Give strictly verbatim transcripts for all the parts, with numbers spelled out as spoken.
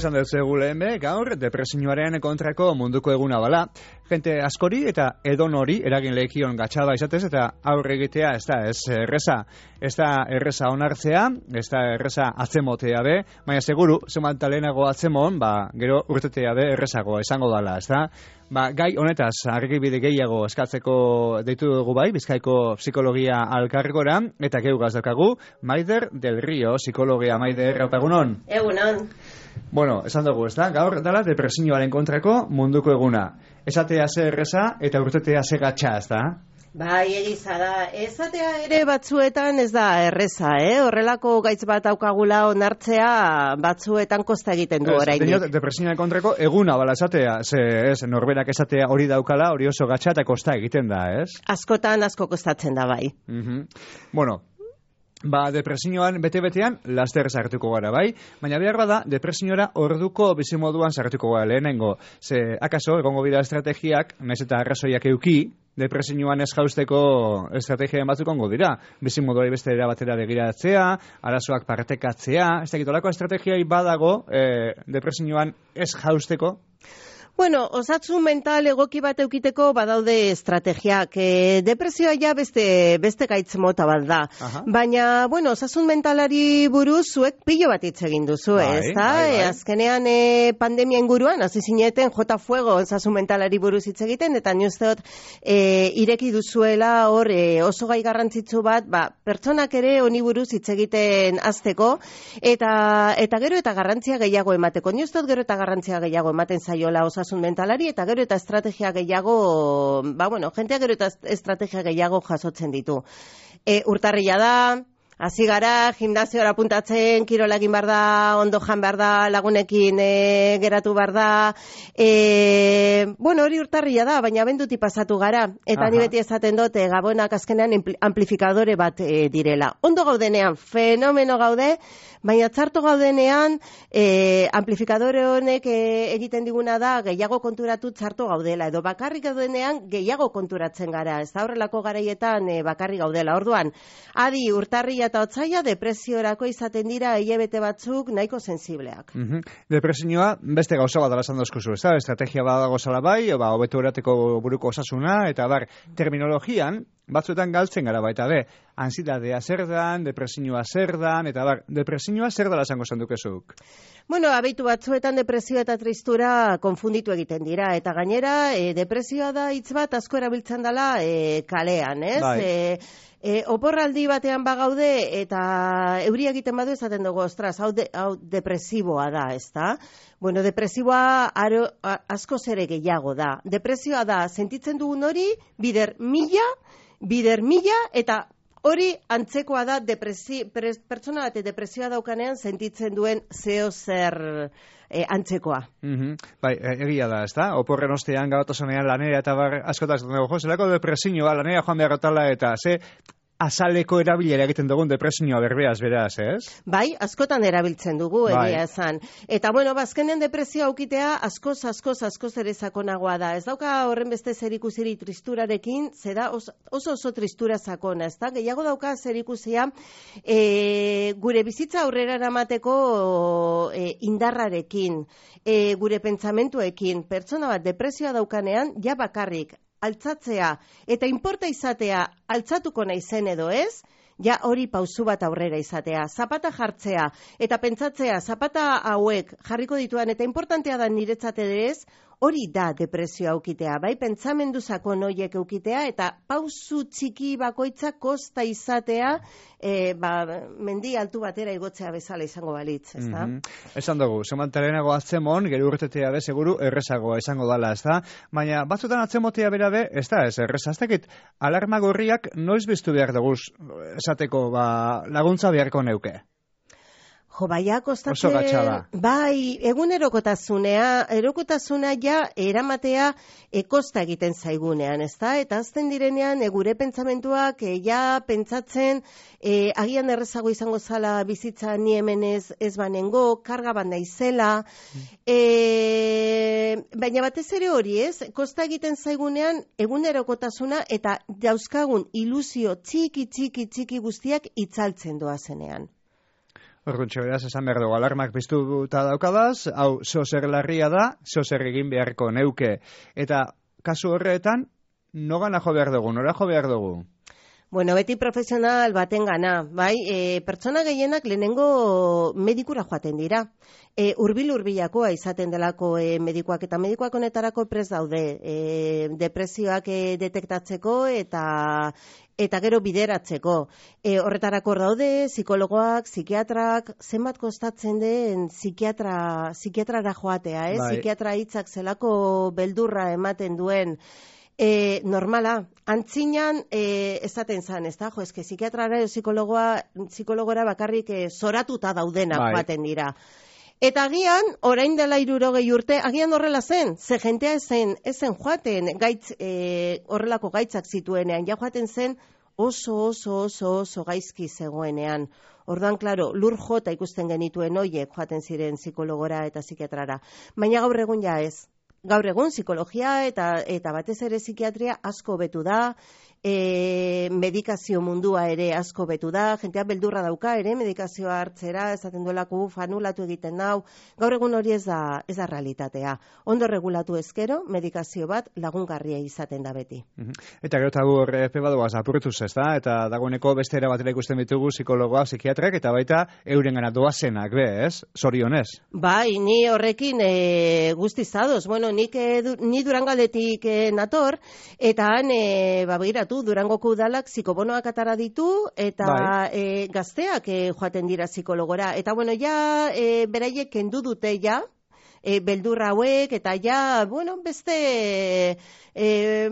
Esan dut zegu lehen be, gaur, depresioaren kontrako munduko eguna bala. Jente askori eta edon hori eragin lehikion gatxada izatez eta aurre egitea ez da ez erreza. Ez da erreza onartzea, ez da erreza atzemotea be, baina seguru, zemanta lehenago atzemon, ba, gero urtetea be errezago esango dala, ez da? Ba, gai honetaz, argibide gehiago eskatzeko deitu dugu bai, Bizkaiko psikologia alkargora, eta geugaz daukagu, Maider del Rio, psikologia. Maider, egunon? Egunon. Bueno, esan dugu, ez da? Gaur dala depresioaren kontrako munduko eguna. Esatea ze erreza eta urtetea ze gatxa, ez da? Bai, egiza da. Esatea ere batzuetan ez da erreza, eh? Horrelako gaitz bat daukagula onartzea batzuetan kosta egiten du oraindik. Diot, depresioaren kontrako eguna bala esatea, ze, ez, norberak esatea hori daukala, hori oso gatxa eta kosta egiten da, ez? Askotan asko kostatzen da bai. Mhm. Bueno, ba, depresioan bete-betean laster sartuko gara, bai? Baina behar bada, depresiora orduko bizimoduan sartuko gara lehenengo. Ze, akaso, egongo bida estrategiak, naiz eta arrazoiak euki, depresioan ez jausteko estrategiaren batzuk ongo dira. Bizimoduari beste era batera begiratzea, arazoak partekatzea, ez dakit olako estrategiai badago eh, depresioan ez jausteko. Bueno, osasun mental egoki bat eukiteko badaude estrategiak. E, depresioa ja beste, beste gaitz mota bat da. Aha. Baina, bueno, osasun mentalari buruz zuek pilo bat hitz egin duzu, bai, ez da? Bai, bai. E, azkenean e, pandemia inguruan, hasi zineten jota fuego osasun mentalari buruz hitz egiten, eta ni uste dut e, ireki duzuela hor e, oso gai garrantzitsu bat, ba, pertsonak ere honi buruz hitz egiten hasteko, eta, eta gero eta garrantzia gehiago emateko. Ni uste dut gero eta garrantzia gehiago ematen zaiola osasun mentalari eta gero eta estrategia gehiago, ba bueno, jentea gero eta estrategia gehiago jasotzen ditu. E, urtarrila da, hasi gara, gimnasiora apuntatzen, kirola egin behar da, ondo jan behar da, lagunekin e, geratu behar da. E, bueno, hori urtarrila da, baina abenduti pasatu gara. Eta Aha. Ni beti esaten dute, gabonak azkenean amplifikadore bat e, direla. Ondo gaudenean, fenomeno gaude, baina txarto gaudenean, e, amplifikadore honek e, egiten diguna da, gehiago konturatu txarto gaudela. Edo bakarrik gaudenean, gehiago konturatzen gara. Ez da horrelako garaietan e, bakarrik gaudela. Orduan, adi urtarrila eta otsaila depresiorako izaten dira hilabete batzuk nahiko sensibleak. Mm-hmm. Depresioa beste gauza bat dela esan dozkuzu, ez da? Estrategia badago zala bai, ba, hobeto erateko buruko osasuna, eta bar, terminologian, batzuetan galtzen gara baita be, ansiedadea zer dan, depresioa zer dan, eta bar, depresioa zer dela esango zendukezuk? Bueno, abeitu batzuetan depresioa eta tristura konfunditu egiten dira, eta gainera, e, depresioa da hitz bat asko erabiltzen dela e, kalean, ez? Bai. E, E, oporraldi batean bagaude eta euria egiten badu esaten dugu, ostras, hau, de, hau depresiboa da, ez da? Bueno, depresiboa aro, a, asko zere gehiago da. Depresioa da, sentitzen dugun hori, bider mila, bider mila, eta hori antzekoa da depresi, pre, pertsona bate depresioa daukanean sentitzen duen zeo zer e, antzekoa. Mm-hmm. Bai, egia da, ez da? Oporren ostean gautasonean lanera eta bar askotaz dugu, jo, zelako depresioa lanera joan beharrotala eta ze azaleko erabilera egiten dugun depresioa berbeaz, beraz, ez? Bai, askotan erabiltzen dugu, egia bai. Esan. Eta, bueno, bazkenen depresioa aukitea askoz, askoz, askoz ere sakonagoa da. Ez dauka horren beste zerikusirik tristurarekin, zera oso, oso oso tristura sakona, ez da? Gehiago dauka zerikusia e, gure bizitza aurrera eramateko e, indarrarekin, e, gure pentsamentuekin. Pertsona bat depresioa daukanean, ja bakarrik, altzatzea, eta inporta izatea altzatuko naizen edo ez, ja hori pausu bat aurrera izatea, zapata jartzea, eta pentsatzea, zapata hauek jarriko dituan, eta importantea da niretzat ere ez, hori da depresioa aukitea, bai pentsamendu sakon horiek aukitea, eta pausu txiki bakoitza kosta izatea, e, ba, mendi altu batera igotzea bezala izango balitz, ez da? Mm-hmm. Esan dugu, semantarenago atzemon, gero urtetea be, seguru, errezagoa izango dala, ez da? Baina, batzutan atzemotea bera be, ez da, ez erreza, ez dakit, alarma gorriak noiz biztu behar dugu, esateko, ba, laguntza beharko neuke. Jo, baia kostatze, bai, egunerokotasunea, erokotasuna ja eramatea e, kosta egiten zaigunean, ez da? Eta azten direnean, e, gure pentsamentuak, e, ja pentsatzen, e, agian errezago izango zala bizitza ni hemen ez, ez banengo, karga bat naizela, e, baina batez ere hori ez, kosta egiten zaigunean egunerokotasuna eta dauzkagun ilusio txiki, txiki, txiki guztiak itzaltzen doazenean. Orduntxe, beraz, esan behar dugu, alarmak piztuta daukadaz, hau, zozer larria da, zozer egin beharko neuke. Eta, kasu horretan, nogana jo behar dugu, nora jo behar dugu? Bueno, beti profesional baten gana, bai, e, pertsona gehienak lehenengo medikura joaten dira. E, urbil urbilakoa izaten delako e, medikuak, eta medikuak honetarako prest daude, e, depresioak e, detektatzeko eta eta gero bideratzeko. E, horretarako daude, psikologoak, psikiatrak, zenbat kostatzen den psikiatra, psikiatrara joatea, eh? Bai. Psikiatra hitzak zelako beldurra ematen duen. E, normala, antzinan e, esaten zan, ez da, jo, eske psikiatrara edo psikologoa, psikologora bakarrik e, zoratuta daudenak bai. Joaten dira. Eta agian, orain dela hirurogei urte, agian horrela zen, ze jentea ezen, ezen joaten gaitz, e, horrelako gaitzak zituenean, ja joaten zen oso, oso, oso, oso gaizki zegoenean. Orduan, klaro, lur jota ikusten genituen hoiek joaten ziren psikologora eta psikiatrara. Baina gaur egun ja ez. Gaur egun psikologia eta eta batez ere psikiatria asko betu da, e, medikazio mundua ere asko betu da, jentea beldurra dauka ere medikazioa hartzera, esaten duelako fanulatu egiten dau. Gaur egun hori ez da ez da realitatea. Ondo regulatu ezkero, medikazio bat lagungarria izaten da beti. Eta gero eta hor epe badoaz apurtuz, ez da? Eta dagoeneko beste era batera ikusten ditugu psikologoa, psikiatrak eta baita eurengana doazenak, be, ez? Zorionez. Bai, ni horrekin e, guztiz ados. Bueno, nik e, du, ni Durangaldetik e, nator, eta han e, ba, begiratu, Durangoko udalak psikobonoak atara ditu, eta bai. e, gazteak e, joaten dira psikologora. Eta bueno, ja e, beraiek kendu dute ja, e, beldurra hauek, eta ja, bueno, beste... E,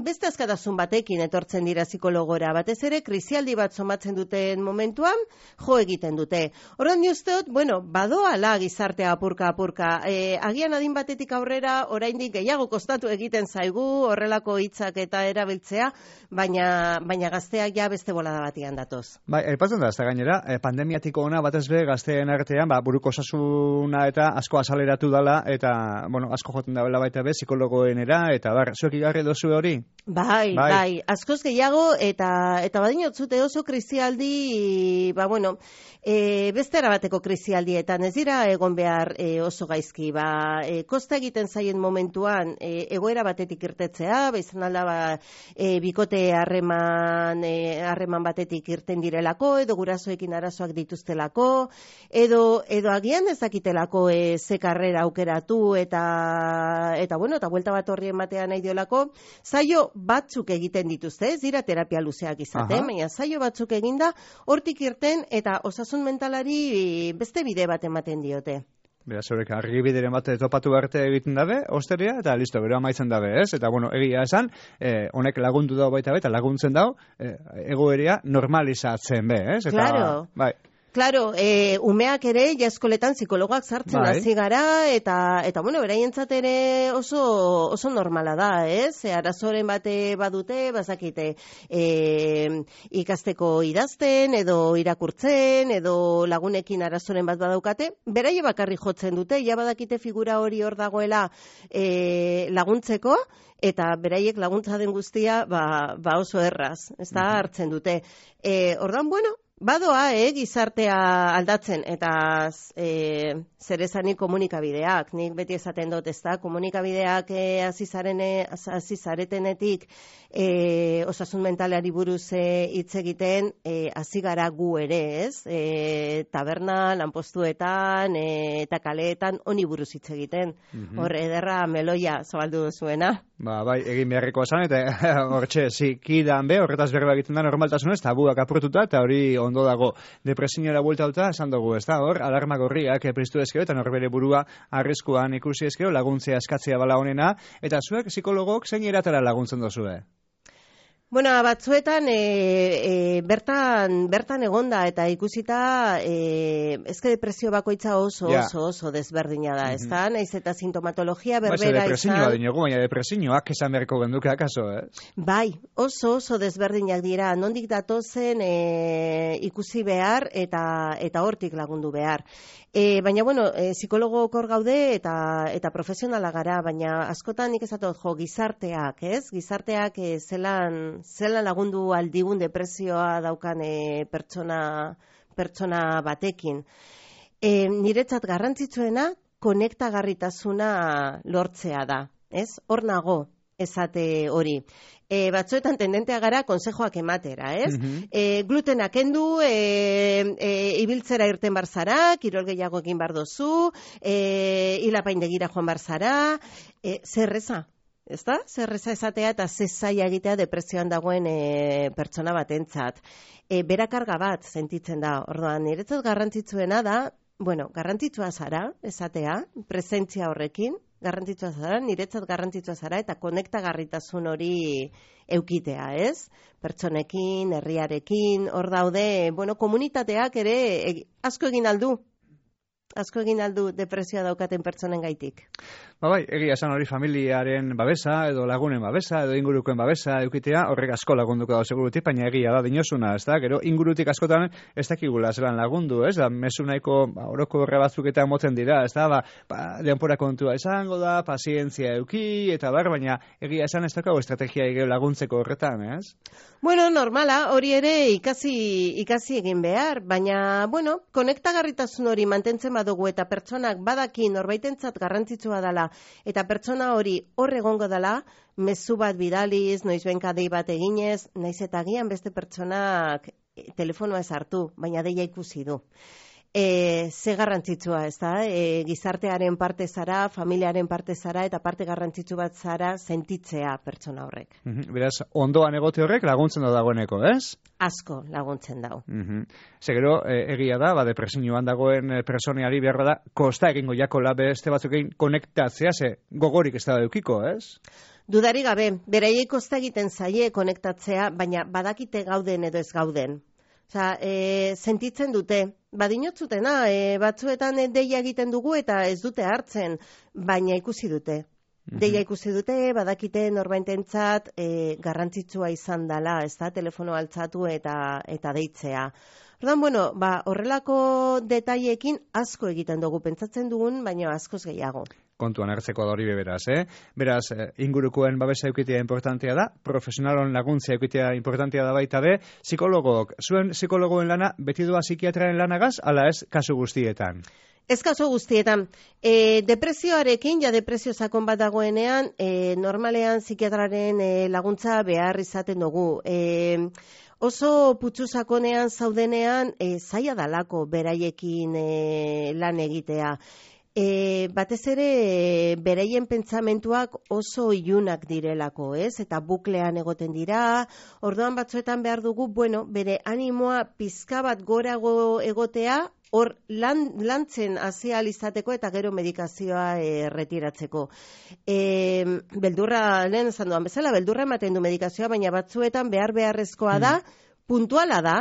beste askatasun batekin etortzen dira psikologora, batez ere krisialdi bat somatzen duten momentuan jo egiten dute. Orduan ni usteot, bueno, badoala gizartea apurka apurka. E, agian adin batetik aurrera oraindik gehiago kostatu egiten zaigu horrelako hitzak eta erabiltzea, baina baina gazteak ja beste bolada batian datoz. Bai, aipatzen da, ez da gainera, pandemiatiko ona batez be gazteen artean, ba, buruko osasuna eta asko azaleratu dala, eta, bueno, asko joten da baita be, psikologoenera, eta bar, zuek igarri dozu hori? Bai, bai, bai, askoz gehiago, eta eta badinotzute oso krisialdi, ba, bueno, e, beste erabateko krisialdietan, ez dira egon behar e, oso gaizki, ba, e, kosta egiten zaien momentuan, e, egoera batetik irtetzea, ba, izan alda, ba, e, bikote harreman, e, harreman batetik irten direlako, edo gurasoekin arazoak dituztelako, edo, edo agian ezakitelako e, ze karrera aukeratu, eta, eta, bueno, eta buelta bat horri ematean nahi diolako, zaio batzuk egiten dituzte, ez dira terapia luzeak izaten, baina zaio batzuk eginda, hortik irten eta osasun mentalari beste bide bat ematen diote. Beraz, horrek argibideren bat topatu arte egiten dabe, osteria, eta listo, gero amaitzen dabe, ez? Eta, bueno, egia esan, eh, honek lagundu dau baita be, eta laguntzen dau, eh, egoerea normalizatzen be, ez? Eta, claro. Bai. Claro, e, umeak ere jaskoletan psikologoak sartzen bai. hasi gara, eta, eta bueno, beraientzat ere oso, oso normala da, ez? E, arazoren bate badute, bazakite, e, ikasteko idazten, edo irakurtzen, edo lagunekin arazoren bat badaukate, beraie bakarri jotzen dute, ja badakite figura hori hor dagoela e, laguntzeko, eta beraiek laguntza den guztia ba, ba oso erraz, ez da, hartzen dute. E, ordan, bueno, badoa, eh, gizartea aldatzen, eta e, zer esanik komunikabideak, nik beti esaten dut, ez da, komunikabideak eh, azizaretenetik eh, osasun mentalari buruz hitz eh, egiten, hasi eh, gara gu ere, ez? Eh, taberna, lanpostuetan, eh, eta kaleetan, honi buruz hitz egiten. Mm-hmm. Hor, ederra meloia zabaldu duzuena. Ba, bai, egin beharriko esan, eta hortxe, zikidan be, horretaz berba egiten da normaltasunez, tabuak apurtuta, eta hori ondo dago depresiñora bueltauta, esan dugu, ez da, hor, alarma gorriak priztu ezkero, eta norbere burua arriskuan ikusi ezkero, laguntzea eskatzea bala honena, eta zuek psikologok zein eratara laguntzen dozue? Bueno, batzuetan e, e, bertan bertan egonda eta ikusita e, ezke depresio bakoitza oso yeah. oso oso desberdina da, mm-hmm. ezta? Naiz eta sintomatologia berbera ba, izan. Depresioa dinogu, baina depresioak esan beharko genduke akaso, eh? Bai, oso oso desberdinak dira, nondik datozen e, ikusi behar eta eta hortik lagundu behar. E, baina, bueno, e, psikologok hor gaude eta eta profesionala gara, baina askotan nik esatot jo gizarteak, ez? Gizarteak e, zelan, zelan lagundu aldigun depresioa daukan e, pertsona pertsona batekin. E, niretzat garrantzitsuena konektagarritasuna lortzea da, ez? Hor nago esate hori. E, batzuetan tendentea gara konsejoak ematera, ez? Mm-hmm. E, glutena kendu, e, e, ibiltzera irten barzara, kirol gehiago egin bar dozu, e, hilapaindegira joan barzara, e, zerreza, ez da? Zerreza esatea eta zezaia egitea depresioan dagoen e, pertsona batentzat. E, berakarga bat sentitzen da, orduan, niretzat garrantzitsuena da, bueno, garrantzitsua zara, esatea, presentzia horrekin, garrantzitsua zara, niretzat garrantzitsua zara, eta konektagarritasun hori eukitea, ez? Pertsonekin, herriarekin, hor daude, bueno, komunitateak ere e, asko egin aldu, asko egin aldu depresioa daukaten pertsonen gaitik. Ba bai, egia esan hori familiaren babesa, edo lagunen babesa, edo ingurukoen babesa eukitea, horrek asko lagunduko da segurutik, baina egia da dinosuna, ez da? Gero ingurutik askotan ez dakigula zelan lagundu, ez da? Mezu nahiko ba, oroko horre batzuk eta motzen dira, ez da? Ba, ba, denpora kontua izango da, pazientzia euki, eta bar, baina egia esan ez dakago estrategia egeo laguntzeko horretan, ez? Bueno, normala, hori ere ikasi, ikasi egin behar, baina, bueno, konektagarritasun hori mantentzen badugu eta pertsonak badaki norbaitentzat garrantzitsua dela eta pertsona hori hor egongo dela, mezu bat bidaliz, noizbenka dei bat eginez, naiz eta agian beste pertsonak telefonoa ez hartu, baina deia ikusi du. E, ze garrantzitsua, ez da? E, gizartearen parte zara, familiaren parte zara, eta parte garrantzitsu bat zara sentitzea pertsona horrek. Mm-hmm. Beraz, ondoan egote horrek laguntzen da dagoeneko, ez? Asko laguntzen dau. Mm-hmm. Zegero, e, egia da, ba, depresioan dagoen personeari beharra da, kosta egingo jakola beste batzukein konektatzea, ze gogorik ez da eukiko, ez? Dudari gabe, beraiei kosta egiten zaie konektatzea, baina badakite gauden edo ez gauden. Osa, e, sentitzen dute, badinotzutena, e, batzuetan deia egiten dugu eta ez dute hartzen, baina ikusi dute. Mm-hmm. Deia ikusi dute, badakite norbaitentzat e, garrantzitsua izan dela, ez da, telefono altzatu eta, eta deitzea. Ordan, bueno, ba, horrelako detaileekin asko egiten dugu, pentsatzen dugun, baina askoz gehiago. Kontuan hartzeko da hori beraz, eh? Beraz, ingurukoen babesa eukitea importantea da, profesionalon laguntzea eukitea importantea da baita be, psikologok, zuen psikologoen lana beti doa psikiatraren lanagaz, ala ez kasu guztietan? Ez kasu guztietan. E, depresioarekin, ja depresio sakon bat dagoenean, e, normalean psikiatraren e, laguntza behar izaten dugu. E, oso putzu sakonean zaudenean, e, zaila dalako beraiekin e, lan egitea. E, batez ere e, bereien pentsamentuak oso ilunak direlako, ez? Eta buklean egoten dira, orduan batzuetan behar dugu, bueno, bere animoa pizka bat gorago egotea, hor lan, lantzen hasi ahal izateko eta gero medikazioa e, retiratzeko. E, beldurra, lehen esan duan bezala, beldurra ematen du medikazioa, baina batzuetan behar beharrezkoa da, puntuala da,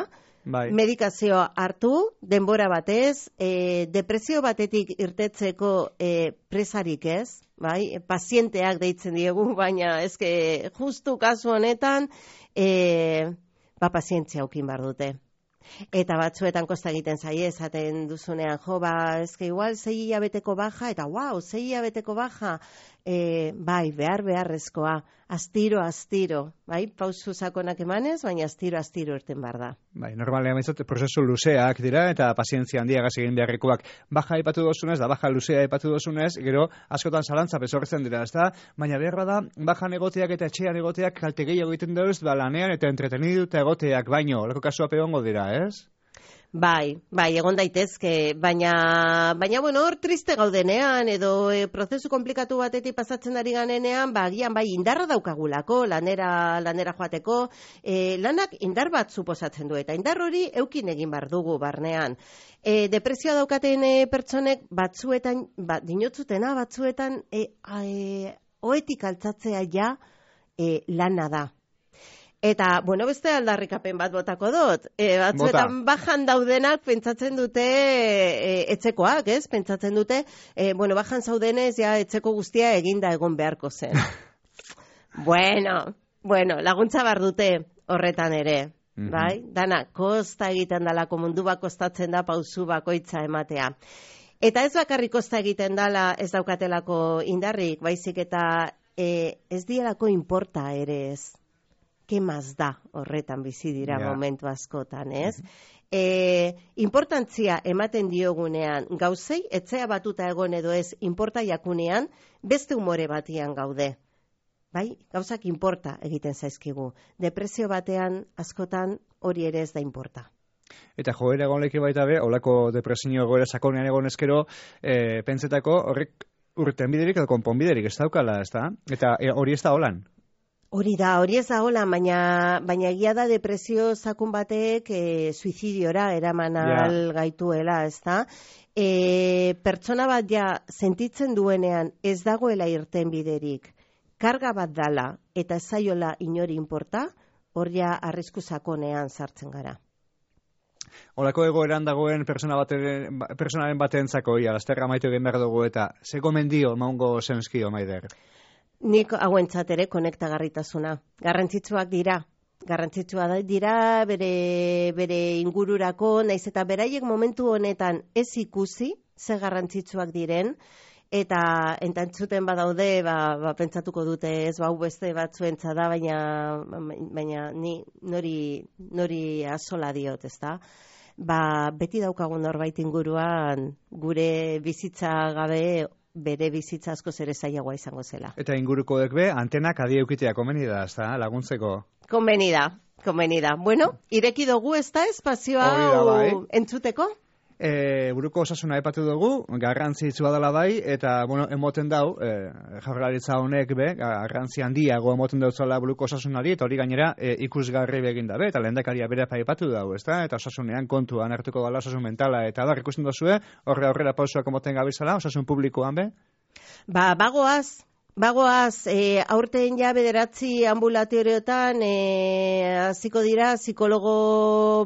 bai. Medikazioa hartu, denbora batez, e, depresio batetik irtetzeko e, presarik ez, bai? Pazienteak deitzen diegu, baina ezke justu kasu honetan, e, ba, pazientzia aukin bar dute. Eta batzuetan kosta egiten zaie, esaten duzunean, jo, ba, ezke igual sei hilabeteko baja, eta wow, sei hilabeteko baja, e, bai, behar beharrezkoa, astiro, astiro, bai, pausu sakonak emanez, baina astiro, astiro irten bar da. Bai, normalean behintzat, prozesu luzeak dira, eta pazientzia handiagaz egin beharrekoak. Baja aipatu dozunez, da baja luzea aipatu dozunez, gero askotan zalantza bezortzen dira, ez da? Baina beharra da, bajan egoteak eta etxean egoteak kalte gehiago egiten dauz, ba, lanean eta entreteniduta egoteak baino, olako kasua peongo dira, ez? Bai, bai, egon daitezke, baina, baina bueno, hor triste gaudenean, edo e, prozesu komplikatu batetik pasatzen ari ganenean, ba, gian, bai, indarra daukagulako, lanera, lanera joateko, e, lanak indar bat suposatzen du, eta indar hori eukin egin bar dugu barnean. E, depresioa daukaten e, pertsonek batzuetan, bat, dinotzutena batzuetan, e, e, oetik altzatzea ja e, lana da. Eta, bueno, beste aldarrikapen bat botako dut. E, batzuetan Bota. Bajan daudenak pentsatzen dute e, etzekoak, ez? Pentsatzen dute, e, bueno, bajan zaudenez, ja, etzeko guztia eginda egon beharko zen. bueno, bueno, laguntza bar dute horretan ere, mm-hmm. bai? Dana, kosta egiten dalako mundu bat kostatzen da pausu bakoitza ematea. Eta ez bakarrik kosta egiten dala ez daukatelako indarrik, baizik eta e, ez dielako inporta ere ez. kemaz da horretan bizi dira yeah. momentu askotan, ez? E, importantzia ematen diogunean gauzei, etzea batuta egon edo ez, inporta jakunean, beste umore batian gaude. Bai, gauzak inporta egiten zaizkigu. Depresio batean askotan hori ere ez da inporta. Eta joera egon leki baita be, holako depresio egoera sakonean egon ezkero, e, pentsetako horrek urten biderik edo konponbiderik ez daukala, ez da? Eta e, hori ez da holan? Hori da, hori ez da holan, baina, baina egia da depresio sakun batek e, suizidiora eraman ahal yeah. gaituela, ez da? E, pertsona bat ja sentitzen duenean ez dagoela irten biderik, karga bat dala eta ez zaiola inori inporta, hori arrisku sakonean sartzen gara. Olako egoeran dagoen persona baten, personaren batentzako ia, lasterra maitu egin behar dugu eta ze gomendio maungo zenskio, Maider? Nik hauentzat ere konektagarritasuna. Garrantzitsuak dira. Garrantzitsua dira bere, bere ingururako, naiz eta beraiek momentu honetan ez ikusi ze garrantzitsuak diren, eta entantzuten badaude, ba, ba, pentsatuko dute ez, ba, beste batzuentza da, baina, baina ni nori, nori asola diot, ez da? Ba, beti daukagun norbait inguruan gure bizitza gabe bere bizitza asko ere zailagoa izango zela. Eta inguruko dekbe, antenak adi eukitea komeni da, ez da, laguntzeko? Komeni da, komeni da. Bueno, ireki dugu ez da espazioa bai. Entzuteko? E, buruko osasuna epatu dugu, garrantzitsua dela bai, eta bueno, emoten dau, e, jaurlaritza honek be, garrantzi handiago emoten dautzala buruko osasunari, eta hori gainera e, ikusgarri begin dabe, eta lehendakaria bere aipatu dau, ezta? Eta osasunean kontuan hartuko gala osasun mentala, eta da, ikusten duzue, horre aurrera pausoak emoten gabizala, osasun publikoan be? Ba, bagoaz, Bagoaz, e, aurten ja bederatzi ambulatorioetan hasiko e, dira psikologo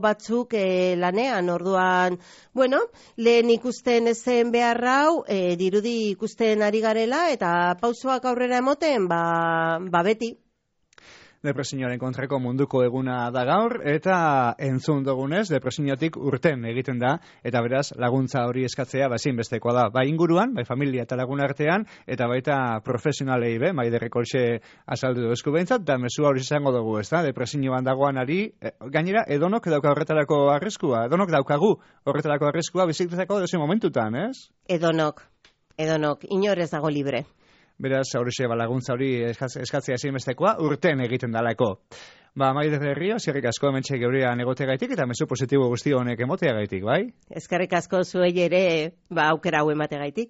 batzuk e, lanean, orduan, bueno, lehen ikusten ezen behar hau, e, dirudi ikusten ari garela, eta pausoak aurrera emoten, ba, ba beti. Depresioaren kontrako munduko eguna da gaur, eta entzun dugunez, depresiotik urten egiten da, eta beraz, laguntza hori eskatzea, ba, ezinbestekoa da, bai inguruan, bai familia eta lagun artean, eta baita profesionalei be, bai derrekolxe azaldu duzku behintzat, da mesua hori izango dugu, ez da, depresioan dagoan ari, e, gainera, edonok dauka horretarako arriskua, edonok daukagu horretarako arriskua bizikletako dozien momentutan, ez? Edonok, edonok, inor ez dago libre. Beraz, horixe laguntza hori eskatzea ezinbestekoa urten egiten dalako. Ba, Maider Berrio, zirrik asko hementxe geurean egoteagaitik eta mezu positibo guzti honek emoteagaitik, bai? Eskerrik asko zuei ere, ba, aukera hau emateagaitik.